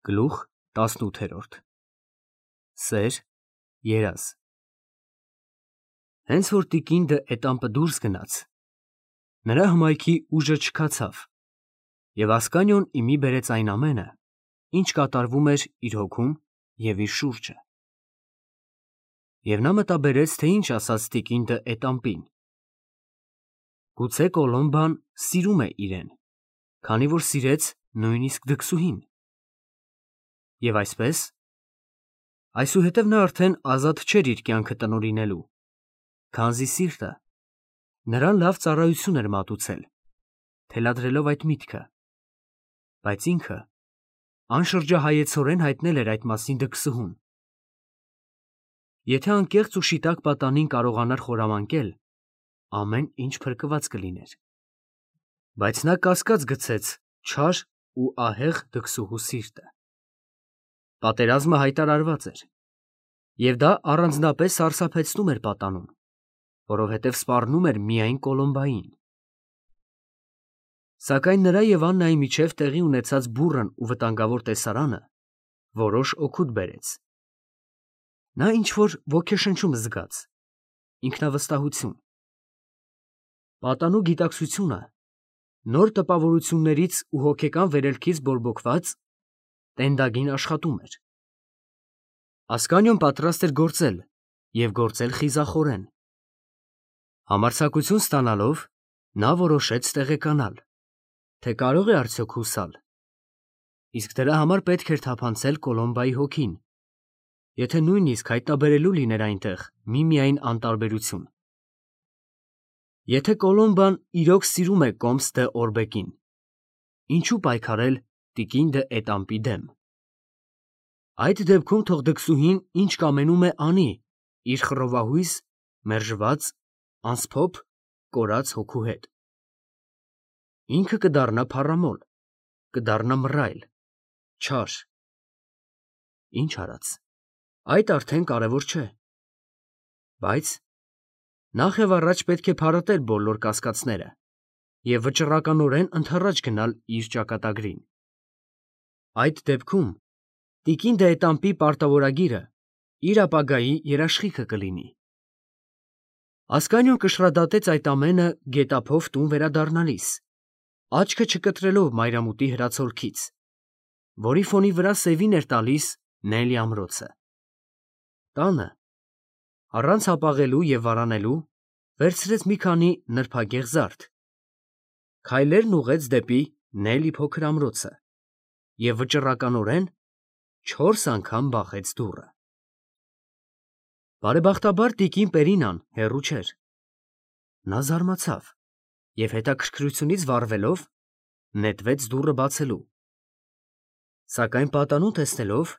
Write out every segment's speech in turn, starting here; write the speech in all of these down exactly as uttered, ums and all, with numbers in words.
Գլուխ տասնութերորդ Սեր, երազ Հենց որ տիկինդը էտամպը դուրս գնաց, նրա հմայքի ուժը չքացավ, և Ասկանիոն իմի բերեց այն ամենը, ինչ կատարվում էր իր հոգում և իր շուրջը։ Եվ նա մտաբերեց, թե ինչ ասաց տիկինդը էտամպին. գուցե Կոլոմբան սիրում է իրեն, քանի որ սիրեց նույնիսկ դքսուհին։ Եվ այսպես, այսուհետև նա արդեն ազատ չէր իր կյանքը տնօրինելու, քանզի սիրտը նրան լավ ծառայություն էր մատուցել, թելադրելով այդ միտքը, բայց ինքը անշրջահայեցորեն հայտնել էր այդ մասին դքսուհուն։ Եթե անկեղծ ու շիտակ պատանին կարողանար խորամանկել, ամեն ինչ փրկված կլիներ։ Բայց նա կասկած գցեց չար ու ահեղ դքսուհու սիրտը։ Պատերազմը հայտարարված էր, և դա առանձնապես սարսափեցնում էր պատանուն, որովհետև սպառնում էր միայն Կոլոմբային։ Սակայն նրա և Աննայի միջև տեղի ունեցած բուռն ու վտանգավոր տեսարանը որոշ օգուտ բերեց։ Նա ինչ-որ ոգեշնչում զգաց, ինքնավստահություն։ Պատանու գիտակցությունը, նոր տպավորություններից ու հոգեկան վերելքից բորբոքված, տենդագին աշխատում էր։ Ասկանիոն պատրաստ էր գործել և գործել խիզախորեն։ Համարձակություն ստանալով, նա որոշեց տեղեկանալ, թե կարող է արդյոք հուսալ, իսկ դրա համար պետք էր թափանցել Կոլոմբայի հոգին, եթե նույնիսկ հայտնաբերելու լիներ այնտեղ միմիայն անտարբերություն։ Եթե Կոլոմբան իրոք սիրում է Կոմս դե Օրբեկին, ինչու պայքարել տիկին դե Էտամպի դեմ։ Այդ դեպքում թող դքսուհին ինչ կամենում է անի իր խռովահույս, մերժված, անսփոփ, կորած հոգու հետ։ Ինքը կդառնա փառամոլ, կդառնա մռայլ, չար։ Ինչ արած, այդ արդեն կարևոր չէ։ Բայց նախ և առաջ պետք է փարատել բոլոր կասկածները և վճռականորեն ընդառաջ գնալ իր ճակատագրին։ Այդ դեպքում տիկին դե Էտամպի պարտավորագիրը իր ապագայի երաշխիքը կլինի։ Ասկանիոն կշռադատեց այդ ամենը գետափով տուն վերադառնալիս, աչքը չկտրելով մայրամուտի հրացոլքից, որի ֆոնի վրա սևին էր տալիս Նելի ամրոցը։ Տանը, առանց հապաղելու և վարանելու, վերցրեց մի քանի նրբագեղ զարդ, քայլերն ուղղեց դեպի Նելի փոքր ամրոցը և վճռականորեն չորս անգամ բախեց դուռը։ Բարեբախտաբար տիկին Պերինան հեռու չէր։ Նա զարմացավ և հետաքրքրությունից վառվելով, նետվեց դուռը բացելու։ Սակայն պատանուն տեսնելով,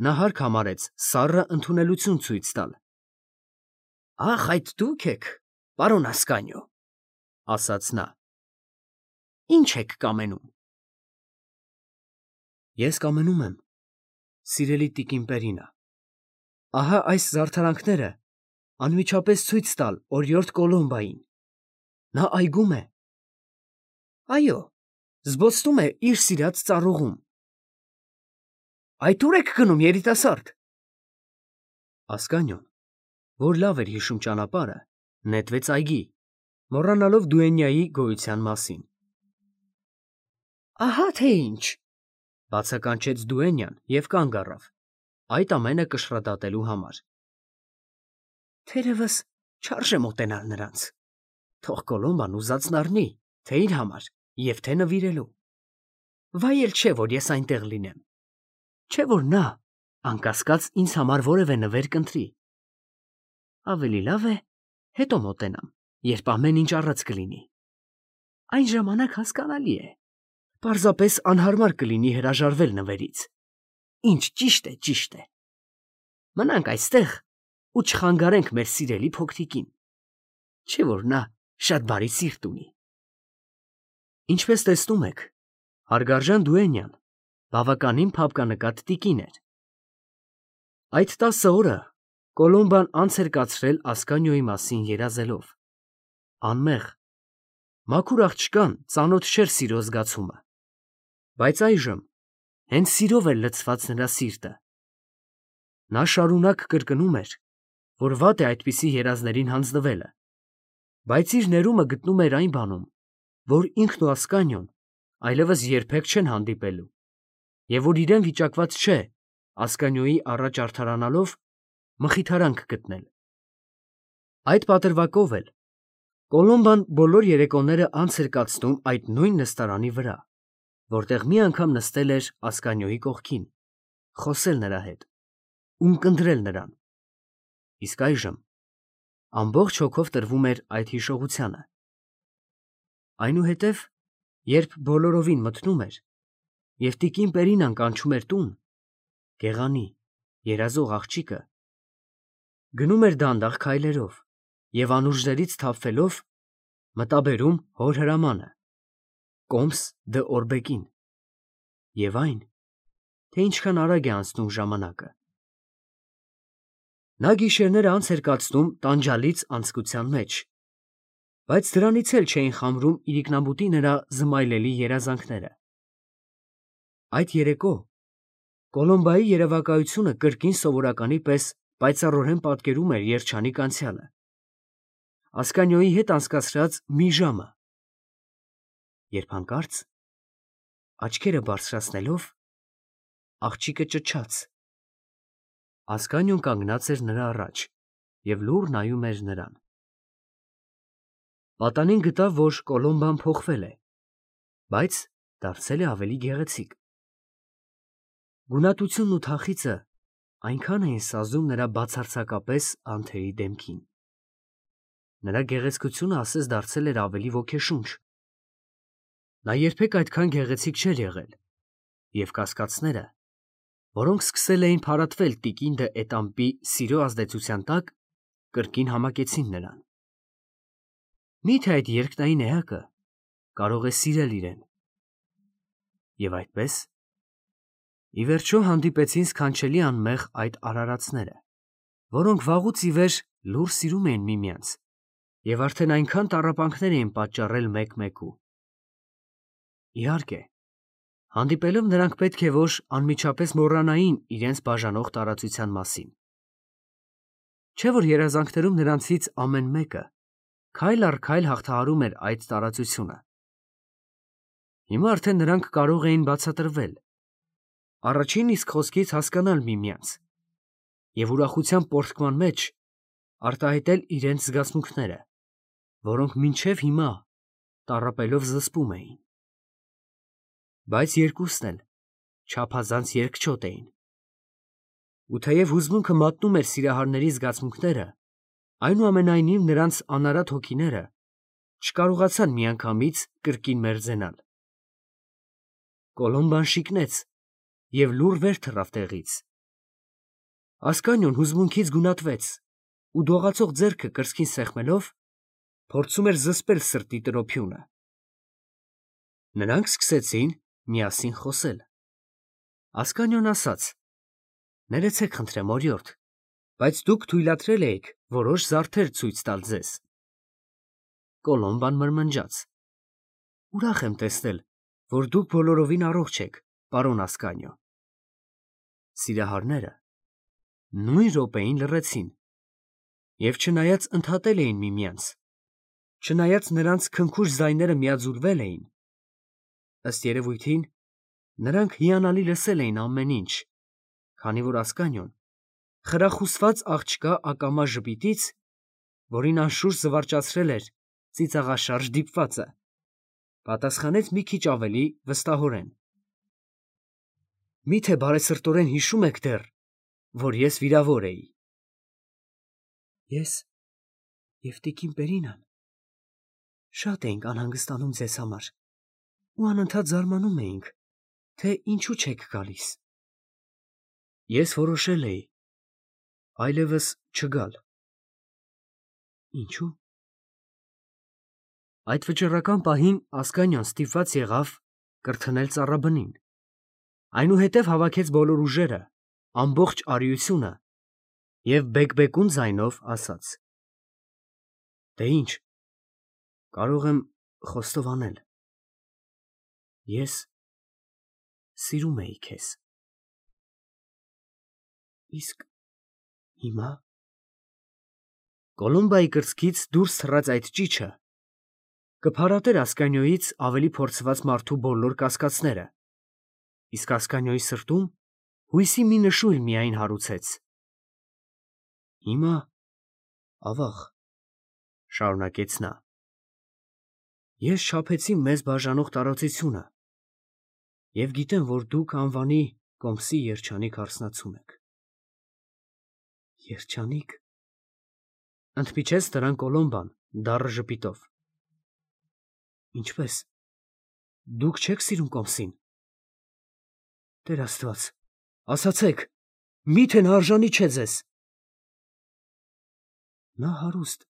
նա հարկ համարեց սառը ընդունելություն ցույց տալ։ ֊ Ախ, այդ դու՞ք եք, պարոն Ասկանիո, ֊ ասաց նա։ ֊ Ի՞նչ եք կամենում։ ֊ Ես կամենում եմ, սիրելի տիկին Պերինա, ահա այս զարդարանքները անմիջապես ցույց տալ օրիորդ Կոլոմբային։ Նա այգում է։ Այո, զբոսնում է իր սիրած ծառուղում։ Այդ ո՞ւր եք գնում, երիտասարդ։ Ասկանիոն, որ լավ էր հիշում ճանապարհը, նետվեց այգի, մոռանալով դուենյայի գոյության մասին։ Ահա թե ինչ, ֊ բացականչեց դուենյան և կանգ առավ, այդ ամենը կշռադատելու համար։ Թերևս չարժե մոտենալ նրանց, թող Կոլոմբան ուզածն առնի, թե իր համար և թե նվիրելու։ Վայ էլ չէ, որ ես այնտեղ լինեմ, չէ որ նա, անկասկած, ինձ համար որևէ նվեր կընտրի։ Ավելի լավ է հետո մոտենամ, երբ ամեն ինչ առած կլինի։ Այն ժամանակ հասկանալի է, պարզապես անհարմար կլինի հրաժարվել նվերից։ Ինչ ճիշտ է, ճիշտ է։ Մնանք այստեղ ու չխանգարենք մեր սիրելի փոքրիկին, չէ որ նա շատ բարի սիրտ ունի։ Ինչպես տեսնում եք, հարգարժան դուենյան բավականին փափկանկատ տիկին էր։ Այդ տասը օրը Կոլոմբան անց էր կացրել Ասկանիոյի մասին երազելով։ Անմեղ, մաքուր աղջկան ծանոթ չէր սիրո զգացումը, բայց այժմ, Հենց սիրով էր լցված նրա սիրտը։ Նա շարունակ կրկնում էր, որ վատ է այդպիսի երազներին հանձնվելը, բայց իր ներումը գտնում էր այն բանում, որ ինքն ու Ասկանիոն այլևս երբեք չեն հանդիպելու, և որ իրեն վիճակված չէ Ասկանիոյի առաջ արդարանալով մխիթարանք գտնել։ Այդ պատրվակով էլ Կոլոմբան բոլոր երեկոները անց էր կացնում այդ նույն նստարանի վրա, որտեղ մի անգամ նստել էր Ասկանիոյի կողքին, խոսել նրա հետ, ունկնդրել նրան, իսկ այժմ ամբողջ հոգով տրվում էր այդ հիշողությանը։ Այնուհետև, երբ բոլորովին մթնում էր, և տիկին Պերինան կանչում էր տուն, գեղանի, երազող աղջիկը գնում էր դանդաղ քայլերով և անուրջներից թափվելով մտաբերում հոր հրամանը, կոմս դը Օրբեկին, և այն, թե ինչքան արագ է անցնում ժամանակը։ Նա գիշերները անց էր կացնում տանջալից անձկության մեջ, բայց դրանից էլ չէին խամրում իրիկնաբուտի նրա զմայլելի երազանքները։ Այդ երեկո Կոլոմբայի երևակայությունը կրկին սովորականի պես պայծառորեն պատկերում էր երջանիկ անցյալը, Ասկանիոյի հետ անցկացրած մի ժամը, երբ հանկարծ, աչքերը բարձրացնելով, աղջիկը ճչաց։ Ասկանիոն կանգնած էր նրա առաջ և լուռ նայում էր նրան։ Պատանին գտավ, որ Կոլոմբան փոխվել է, բայց դարձել է ավելի գեղեցիկ։ Գունատությունն ու թախիծը այնքան էին սազում նրա բացարձակապես անթերի դեմքին։ Նրա գեղեցկությունը ասես դարձել էր ավելի ոգեշունչ։ Նա երբեք այդքան գեղեցիկ չէր եղել, և կասկածները, որոնք սկսել էին փարատվել տիկին դը Էտամպի սիրո ազդեցության տակ, կրկին համակեցին նրան։ Մի՞թե այդ երկնային էակը կարող է սիրել իրեն։ Եվ այդպես, ի վերջո հանդիպեցին սքանչելի անմեղ այդ արարածները, որոնք վաղուց ի վեր լուռ սիրում էին միմյանց և արդեն այնքան տառապանքներ էին պատճառել մեկ֊մեկու։ Իհարկե, հանդիպելով նրանք պետք է որ անմիջապես մոռանային իրենց բաժանող տարածության մասին։ Չէ՞ որ երազանքներում նրանցից ամեն մեկը քայլ առ քայլ հաղթահարում էր այդ տարածությունը։ Հիմա արդեն նրանք կարող էին բացատրվել, առաջին իսկ խոսքից հասկանալ միմյանց և ուրախության պոռթկման մեջ արտահայտել իրենց զգացմունքները, որոնք մինչև հիմա տառապելով զսպում էին։ Բայց երկուսն էլ չափազանց երկչոտ էին։ Ու թեև հուզմունքը մատնում էր սիրահարների զգացմունքները, այնուամենայնիվ նրանց անարատ հոգիները չկարողացան միանգամից կրկին մերձենալ։ Կոլոմբան շիկնեց և լուռ վեր թռավ տեղից։ Ասկանիոն հուզմունքից գունատվեց ու դողացող ձեռքը կրծքին սեղմելով, փորձում էր զսպել սրտի տրոփյունը։ Նրանք սկսեցին միասին խոսել։ Ասկանիոն ասաց. «Ներեցեք խնդրեմ, օրիորդ, բայց դուք թույլատրել էիք որոշ զարդեր ցույց տալ ձեզ»։ Կոլոմբան մրմնջաց. «Ուրախ եմ տեսնել, որ դուք բոլորովին առողջ եք, պարոն Ասկանիո»։ Սիրահարները նույն րոպեին լռեցին և չնայած ընդհատել էին միմյանց, չնայած նրանց քնքուշ ձայները միաձուլվել էին, ըստ երևույթին, նրանք հիանալի լսել էին ամեն ինչ, քանի որ Ասկանիոն խրախուսված աղջկա ակամա ժպիտից, որին անշուշտ զվարճացրել էր ծիծաղաշարժ դիպվածը, պատասխանեց մի քիչ ավելի վստահորեն. «Մի՞թե բարեսրտորեն հիշում եք դեռ, որ ես վիրավոր էի»։ «Ես և տիկին Պերինան շատ էինք անհանգստանում ձեզ համար ու անընդհատ զարմանում էինք, թե ինչու չեք գալիս։ Ես որոշել էի այլևս չգալ»։ «Ինչո՞ւ»։ Այդ վճռական պահին Ասկանիոն ստիպված եղավ կրթնել ծառաբնին, այնուհետև հավաքեց բոլոր ուժերը, ամբողջ արիությունը և բեկբեկուն ձայնով ասաց. «Դե ինչ, կարող եմ խոստովանել. ես Սիրում էի քեզ։ Իսկ հիմա Կոլումբայի կրծքից դուրս թռած այդ ճիչը կփարատեր Ասկանյոյից ավելի փորձված մարդու բոլոր կասկածները, իսկ Ասկանյոյի սրտում հույսի մի նշույլ միայն հարուցեց։ Հիմա, ավաղ, շարունակեց նա, ես չափեցի մեզ բաժանող տարածությունը և գիտեմ, որ դուք անվանի Կոմսի երջանիկ հարսնացում եք։ Երջանիկ, ընդմիջեց նրան Կոլոմբան դառը ժպիտով։ Ինչպես, դուք չեք սիրում Կոմսին։ Տեր Աստված, ասացեք, միթե նա արժանի չէ ձեզ։ Նա հարուստ,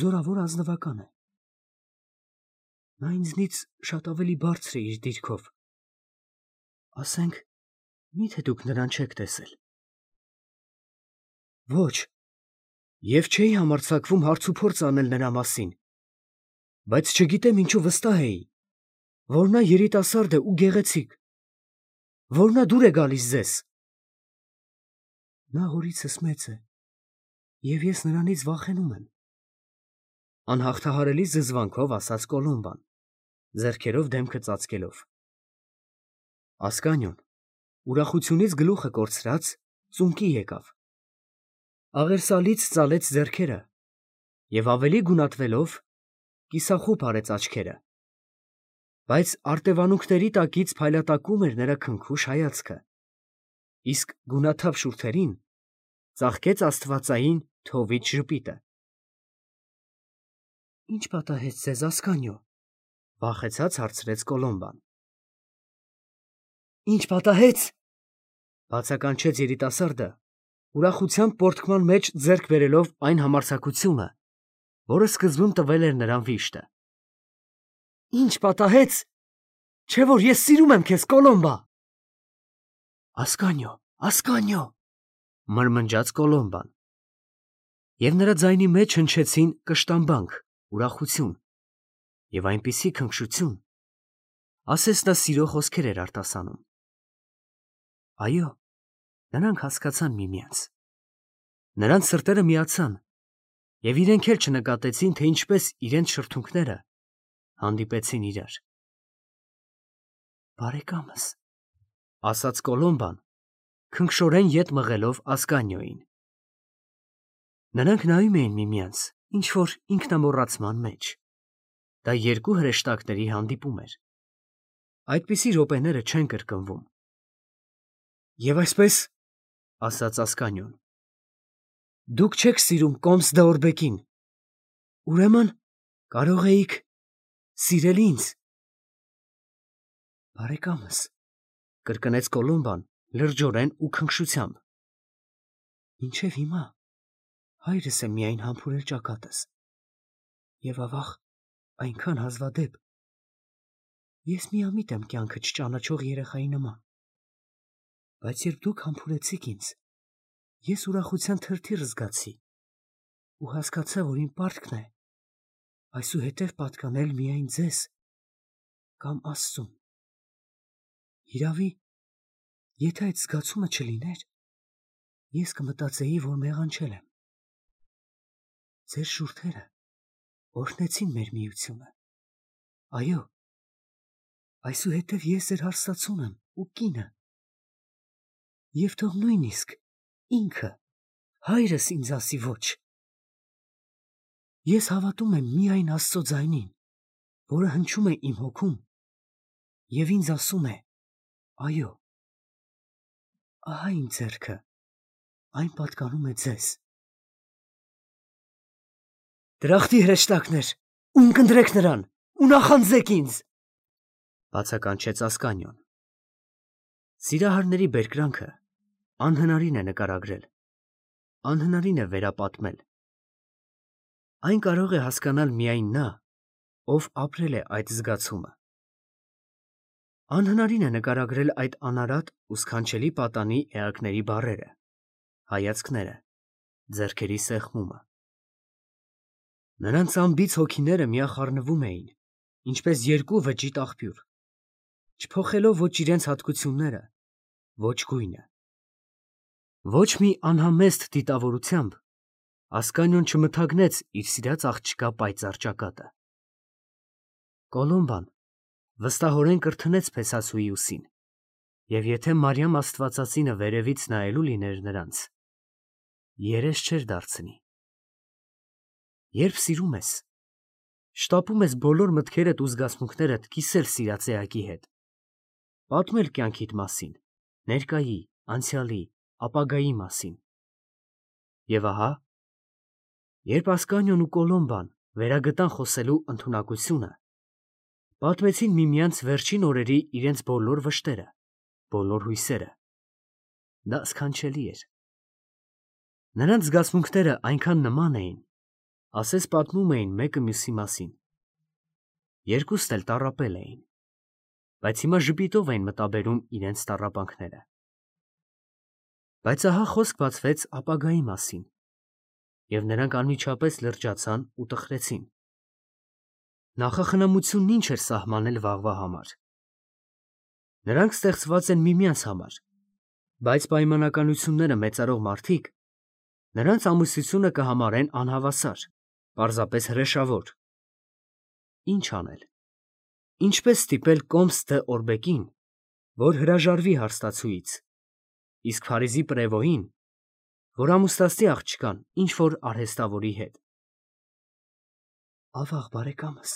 զորավոր ազնվական է։ Նա ինձնից շատ ավելի բարձր է իր դիրքով։ Ասենք, միթե դուք նրան չեք տեսել։ Ոչ, և չէի համարձակվում հարց ու փորձ անել նրա մասին, բայց չգիտեմ ինչու վստահ էի, որ նա երիտասարդ է ու գեղեցիկ, որ նա դուր է գալիս ձեզ։ Նա հորիցս մեծ է, և ես նրանից վախենում եմ, անհաղթահարելի զզվանքով ասաց Կոլոմբան, ձեռքերով դեմքը ծածկելով։ Ասկանյոն, ուրախությունից գլուխը կորցրած, ծունկի եկավ, աղերսալից ծալեց ձեռքերը և ավելի գունատվելով կիսախուփ արեց աչքերը, բայց արտևանունքների տակից փայլատակում էր նրա քնքուշ հայացքը, իսկ գունաթափ շուրթերին ծաղկեց աստվածային թովիթ ժպիտը։ Ինչ պատահեց ձեզ, Ասկանյո, վախեցած հարցրեց Կոլոմբան։ Ինչ պատահեց, բացականչեց երիտասարդը, ուրախությամբ պորտքման մեջ ձեռք բերելով այն համարձակությունը, որը սկզբում տվել էր նրան վիշտը։ Ինչ պատահեց, չէ՞ որ ես սիրում եմ քեզ, Կոլոմբա։ Ասկանյո, Ասկանյո, մրմնջաց Կոլոմբան, և նրա ձայնի մեջ հնչեցին կշտամբանք, ուրախություն և այնպիսի քնքշություն, ասես նա սիրո խոսքեր էր արտասանում։ Այո, նրանք հասկացան միմյանց։ Նրանց սրտերը միացան, և իրենք էլ չնկատեցին, թե ինչպես իրենց շրթունքները հանդիպեցին իրար։ Բարեկամս, ասաց Կոլոմբան, քնքշորեն ետ մղելով Ասկանյոյին։ Նրանք նայում էին միմյանց, ինչ-որ ինքնամոռացման մեջ։ Դա երկու հրեշտակների հանդիպում էր։ Այդպիսի րոպեները չեն կրկնվում։ Եվ այսպես, ասաց Ասկանյոն, դուք չեք սիրում Կոմս Դեորբեկին, ուրեմն կարող էիք սիրել ինձ։ Բարեկամս, կրկնեց Կոլոմբան լրջորեն ու քնքշությամբ, մինչև հիմա հայրս է միայն համբուրել ճակատս, և ավաղ այնքան հազվադեպ, ես միամիտ եմ կյանքը չճանաչող երեխայի նման, բայց երբ դուք համբուրեցիք ինձ, ես ուրախության թրթիռ զգացի ու հասկացա, որ իմ պարտքն է այսուհետև պատկանել միայն ձեզ կամ Աստծուն։ Հիրավի, եթե այդ զգացումը չլիներ, ես կմտածեի, որ մեղանչել եմ։ Ձեր շուրթերը օրհնեցին մեր միությունը։ Այո, այսուհետև ես ձեր հարսացուն եմ ու կինը, և թող նույնիսկ ինքը, հայրս ինձ ասի ոչ։ Ես հավատում եմ միայն Աստծո ձայնին, որը հնչում է իմ հոգում և ինձ ասում է. այո, ահա իմ ձեռքը, այն պատկանում է ձեզ։ Դրախտի հրեշտակներ, ունկնդրեք նրան ու նախանձեք ինձ, բացականչեց Ասկանյոն։ Սիրահարների բերկրանքը անհնարին է նկարագրել, անհնարին է վերապատմել։ Այն կարող է հասկանալ միայն նա, ով ապրել է այդ զգացումը։ Անհնարին է նկարագրել այդ անարատ ու սքանչելի պատանի էակների բառերը, հայացքները, ձեռքերի սեղմումը։ Նրանց անբիծ հոգիները միախառնվում էին, ինչպես երկու վճիտ աղբյուր։ չփոխելով ոչ իրենց հատկությունները, ոչ գույնը։ Ոչ մի անհամեստ դիտավորությամբ Ասկանիոն չմթագնեց իր սիրած աղջկա պայծառ ճակատը։ Կոլոմբան վստահորեն կրթնեց փեսասուի ուսին, և եթե Մարիամ Աստվածածինը վերևից նայելու լիներ նրանց, երես չէր դարձնի։ Երբ սիրում ես, շտապում ես բոլոր մտքերդ ու զգացմունքներդ կիսել սիրած էակի հետ, պատմել կյանքիդ մասին, ներկայի, անցյալի, ապագայի մասին։ Եվ ահա, երբ Ասկանիոն ու Կոլոմբան վերագտան խոսելու ընդունակությունը, պատմեցին միմյանց վերջին օրերի իրենց բոլոր վշտերը, բոլոր հույսերը, դա սքանչելի էր։ Նրանց զգացմունքները այնքան նման էին, ասես պատմում էին մեկը մյուսի մասին։ Երկուստ էլ տառապել էին, բայց հիմա ժպիտով էին մտաբերում իրենց տառապանքները։ Բայց ահա խոսք բացվեց ապագայի մասին, և նրանք անմիջապես լրջացան ու տխրեցին։ Նախախնամությունն ինչ էր սահմանել վաղվա համար։ Նրանք ստեղծված են միմյանց համար, բայց պայմանականությունները մեծարող մարդիկ նրանց ամուսնությունը կհամարեն անհավասար, պարզապես հրեշավոր։ Ինչ անել։ Ինչպես ստիպել Կոմս դը Օրբեկին, որ հրաժարվի հարստացուից, իսկ Փարիզի պրևոյին, որ ամուսնացնի աղջկան ինչ-որ արհեստավորի հետ։ Ավաղ բարեկամս,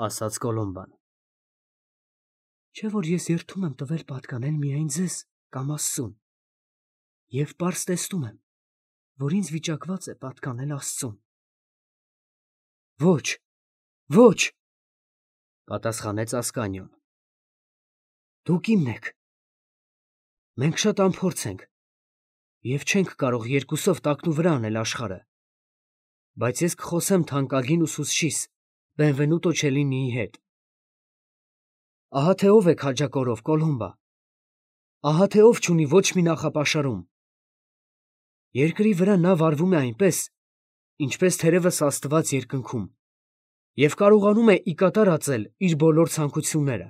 ասաց Կոլոմբան, չէ՞ որ ես երդում եմ տվել պատկանել միայն ձեզ կամ Աստծուն, և պարզ տեսնում եմ, որ ինձ վիճակված է պատկանել Աստծուն։ Ոչ, ոչ, պատասխանեց Ասկանիոն, դուք իմն եք։ Մենք շատ անփորձ ենք և չենք կարող երկուսով տակնուվրա անել աշխարհը, բայց ես կխոսեմ թանկագին ուսուցչիս Բենվենուտո Չելինիի հետ։ Ահա թե ով է քաջակորով, Կոլոմբա, ահա թե ով չունի ոչ մի նախապաշարում։ Երկրի վրա նա վարվում է այնպես, ինչպես թերևս Աստված երկնքում, և կարողանում է ի կատար ածել իր բոլոր ցանկությունները։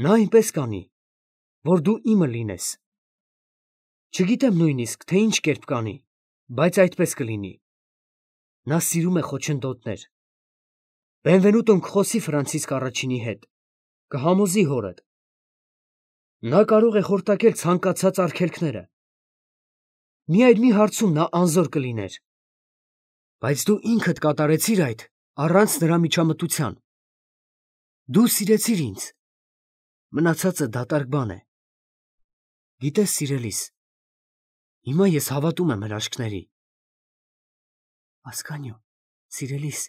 Նա այնպես կանի, որ դու իմը լինես։ Չգիտեմ նույնիսկ, թե ինչ կերպ կանի, բայց այդպես կլինի։ Նա սիրում է խոչընդոտներ։ Բենվենուտոն կխոսի Ֆրանցիսկ առաջինի հետ, կհամոզի հորդ։ Նա կարող է խորտակել ցանկացած արգելքները։ Միայն մի հարցում նա անզոր կլիներ։ Բայց դու ինքդ կատարեցիր այդ առանց նրա միջամտության։ Դու սիրեցիր ինձ։ Մնացածը դատարկ բան է։ Գիտես, սիրելիս, հիմա ես հավատում եմ հրաշքների։ Ասկանիո, սիրելիս,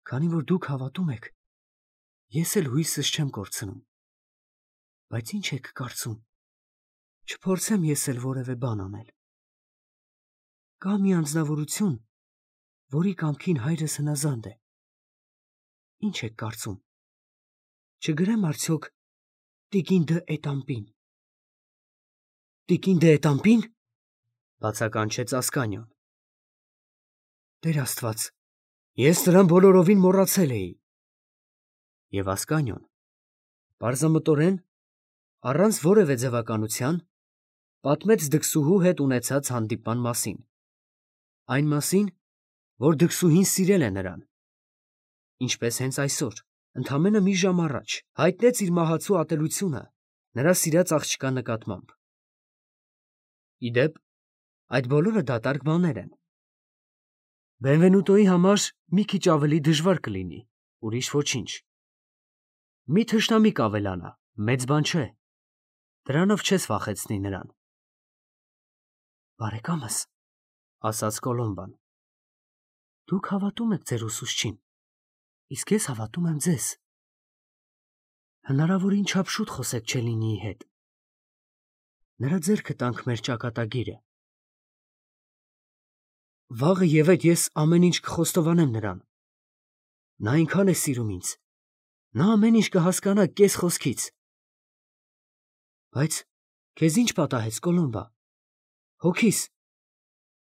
քանի որ դուք հավատում եք, ես էլ հույսս չեմ կորցնում։ Բայց ինչ եք կարծում, չփորձեմ ես էլ որևէ բան անել։ Կա մի անձնավորություն, որի կամքին հայրս հնազանդ է։ Ինչ եք կարծում, չգրեմ արդյոք տիկին դը Էտամպին։ Տիկին դը Էտամպի՞ն, բացականչեց Ասկանիոն։ Տեր Աստված, ես նրան բոլորովին մոռացել էի։ Եվ Ասկանիոն պարզամտորեն, առանց որևէ ձևականության, պատմեց դքսուհու հետ ունեցած հանդիպման մասին, այն մասին, որ դքսուհին սիրել է նրան, ինչպես հենց այսօր, ընդամենը մի ժամ առաջ, հայտնեց իր մահացու ատելությունը նրա սիրած աղջկա նկատմամբ։ Ի դեպ, այդ բոլորը դատարկ բաներ են։ Բենվենուտոյի համար մի քիչ ավելի դժվար կլինի, ուրիշ ոչինչ։ Մի թշնամի կավելանա, մեծ բան չէ, դրանով չես վախեցնի նրան։ Բարեկամս, ասաց Կոլոմբան, դուք հավատում եք ձեր ուսուցչին, իսկ ես հավատում եմ ձեզ։ Հնարավորին չափ շուտ խոսեք Չելինիի հետ։ Նրա ձեռքը տանք մեր ճակատագիրը։ Վաղը և այդ ես ամեն ինչ կխոստովանեմ նրան։ Նա այնքան է սիրում ինձ, նա ամեն ինչ կհասկանա կես խոսքից։ Բայց քեզ ինչ պատահեց, Կոլոմբա, հոգիս,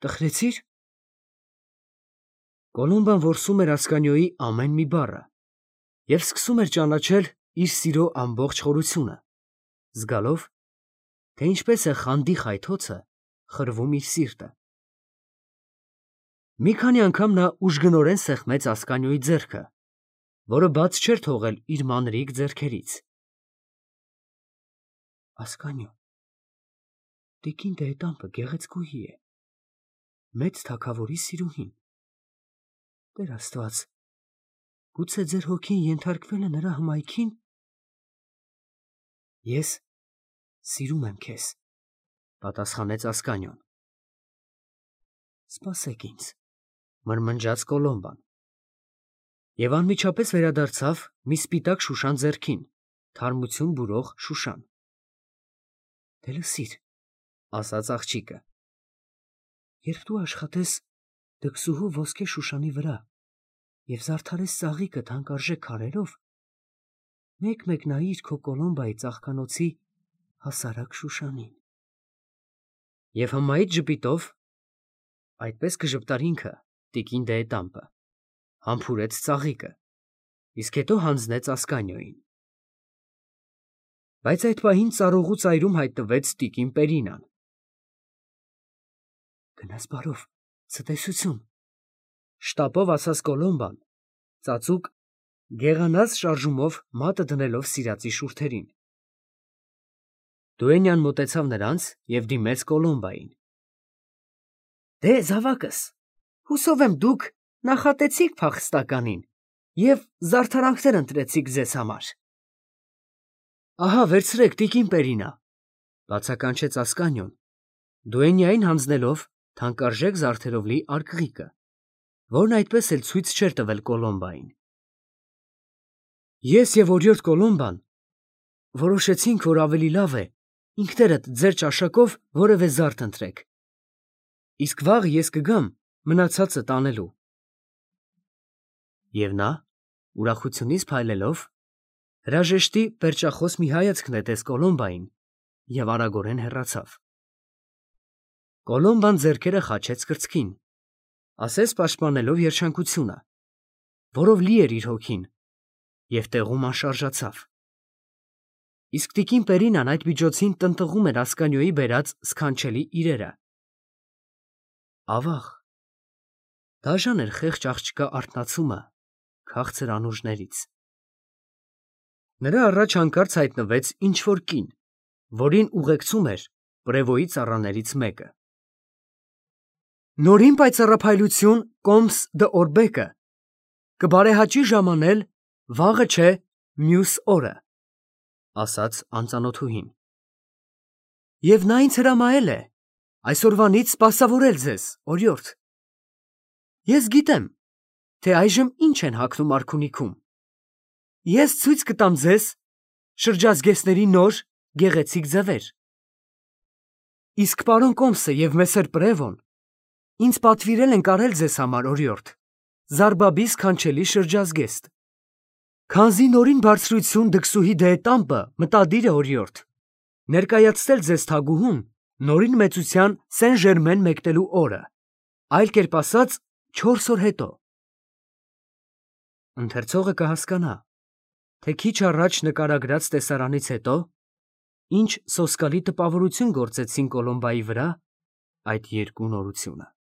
տխրեցի՞ր։ Կոլոմբան որսում էր Ասկանիոյի ամեն մի բառը, և սկսում էր ճանաչել իր սիրո ամբողջ խորությունը, զգալով, թե ինչպես է խանդի խայթոցը խրվում իր սիրտը։ Մի քանի անգամ նա ուժգնորեն սեղմեց Ասկանիոյի ձեռքը, որը բաց չէր թողել իր մանրիկ ձեռքերից։ Ասկանիո, տիկին Դեհետամպը գեղեցկուհի է, մեծ թագավորի սիրուհին։ Տեր Աստված, գուցե ձեր հոգին ենթարկվել է նրա հմայքին։ Ես սիրում եմ քեզ, պատասխանեց Ասկանիոն։ Սպասեք ինձ, մրմնջաց Կոլոմբան, և անմիջապես վերադարձավ մի սպիտակ շուշան ձեռքին, թարմություն բուրող շուշան։ Դե լսիր, ասաց աղջիկը, երբ դու աշխատես դքսուհու ոսկե շուշանի վրա և զարդարես ծաղիկը թանկարժեք քարերով, մեկ-մեկ նայիր քո Կոլոմբայի ծաղկանոցի հասարակ շուշանին։ Եվ հմայիչ ժպիտով, այդպես կժպտար ինքը, տիկին Դեհետամպը, համբուրեց ծաղիկը, իսկ հետո հանձնեց Ասկանիոյին։ Բայց այդ պահին ծառուղու ծայրում հայտնվեց տիկին Պերինան։ Գնաս բարով, ցտեսություն, շտապով ասաց Կոլոմբան, ծածուկ, գեղանած շարժումով մատը դնելով սիրածի շուրթերին։ Դուենյան մոտեցավ նրանց և դիմեց Կոլոմբային։ Դե, զավակս, հուսով եմ դուք նախատեցիք փախստականին և զարդարանքներ ընտրեցիք ձեզ համար։ Ահա, վերցրեք, տիկին Պերինա, բացականչեց Ասկանիոն, Դուենյային հանձնելով թանկարժեք զարդերով լի արկղիկը, որն այդպես էլ ցույց չէր տվել Կոլոմբային։ Ես և օրիորդ Կոլոմբան որոշեցինք, որ ավելի լավ է ինքներդ ձեր ճաշակով որևէ զարդ ընտրեք, իսկ վաղ ես կգամ մնացածը տանելու։ Եվ նա, ուրախությունից փայլելով, հրաժեշտի պերճախոս մի հայացք նետեց Կոլոմբային և արագորեն հեռացավ։ Կոլոմբան ձեռքերը խաչեց կրծքին, ասես պաշտպանելով երջանկությունը, որով լի էր իր հոգին, և տեղում անշարժացավ։ Իսկ տիկին Պերինան այդ միջոցին տնտղում էր Ասկանիոյի բերած սքանչելի իրերը։ Ավաղ, դաժան էր խեղճ աղջկա արթնացումը քաղցր անուրջներից։ Նրա առաջ հանկարծ հայտնվեց ինչ-որ կին, որին ուղեկցում էր պրևոյի ծառաներից մեկը։ Նորին պայծառափայլություն Կոմս դը Օրբեկը կբարեհաճի ժամանել վաղը չէ մյուս օրը, ասաց անծանոթուհին։ Եվ նա ինձ հրամայել է այսօրվանից սպասավորել ձեզ, օրիորդ։ Ես գիտեմ, թե այժմ ինչ են հագնում արքունիքում։ Ես ցույց կտամ ձեզ շրջազգեստների նոր գեղեցիկ ձևեր։ Իսկ պարոն Կոմսը և մեսեր Պրևոն ինձ պատվիրել են կարել ձեզ համար, օրիորդ, Զարբաբի սքանչելի շրջազգեստ։ Քանզի նորին բարձրություն դքսուհի Դեհետամպը մտադիր է, օրիորդ, ներկայացնել ձեզ թագուհուն նորին մեծության Սեն Ժերմեն մեկնելու օրը, այլ կերպ ասած, չորս օր հետո։ Ընթերցողը կհասկանա, թե քիչ առաջ նկարագրած տեսարանից հետո ինչ սոսկալի տպավորություն գործեցին Կոլոմբայի վրա այդ երկու նորությունը։